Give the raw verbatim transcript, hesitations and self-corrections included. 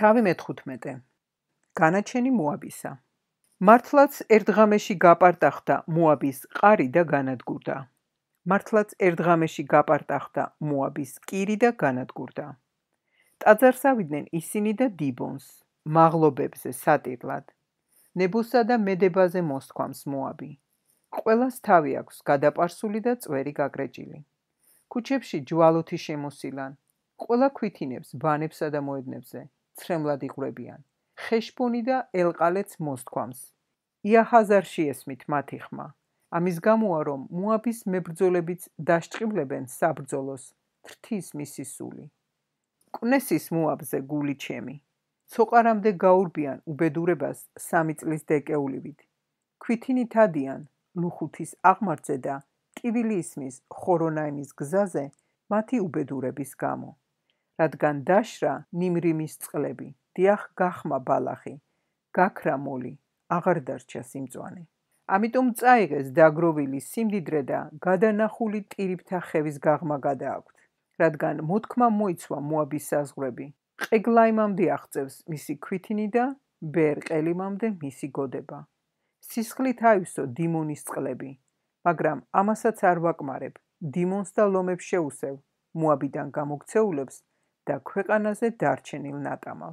თავი მეთხვთმეტე. განაჩენი მოაბისა. მართლაც ერთღამეში გაპარტახდა მოაბის ყარი და განადგურდა. მართლაც ერთღამეში გაპარტახდა მოაბის კირი და განადგურდა. ტაძარს ავიდნენ ისინი და დიბონს, მაღლობებზე სატირლად. ნებოსა და მედებაზე მოსთქვამს მოაბი. ყველას თავი აქვს გადაპარსული და წვერი გაგრეჭილი. ქუჩებში ჯვალოთი შემოსილან. ყველა ქვითინებს ბანებსა და მოედნებზე, ცრემლად იღვრებიან. ხეშბონი და ელყალეც მოსთქვამს. იაჰაზარში ესმით მათი ხმა. ამის გამოა, რომ მოაბის მებრძოლებიც დაშჭყიბლებენ საბრძოლოს, თრთის მისი სული. კვნესის მოაბზე გული ჩემი. ცოყარამდე გაურბიან უბედურებას სამი წლის დეკეულივით. ქვითინი თადიან ლუხუთის აღმართზე და ტივილი ისმის ხორონაიმის გზაზე მათი უბედურების გამო. რადგან დაშრა ნიმრიმის წყლები, დიახ გახმა ბალახი, გაქრა მოლი, აღარ დარჩა სიმწვანე. ამიტომ წაიღეს დაგროვილი სიმდიდრე და გადანახული ტირიფთა ხევის გაღმა გადააქვთ. რადგან მოთქმა მოიცვა მოაბის საზღვრები, ყეგლაიმამდე აღწევს მისი ქვითინი და ბეერ-ყელიმამდე მისი გოდება. სისხლით აივსო დიმონის წყლები, მაგრამ ამასაც არ ვაკმარებ, დიმონს და ლომებს შეუსევ, მოაბიდან გამოქცეულებს და ქვეყანაზე დარჩენილ ნატამალს.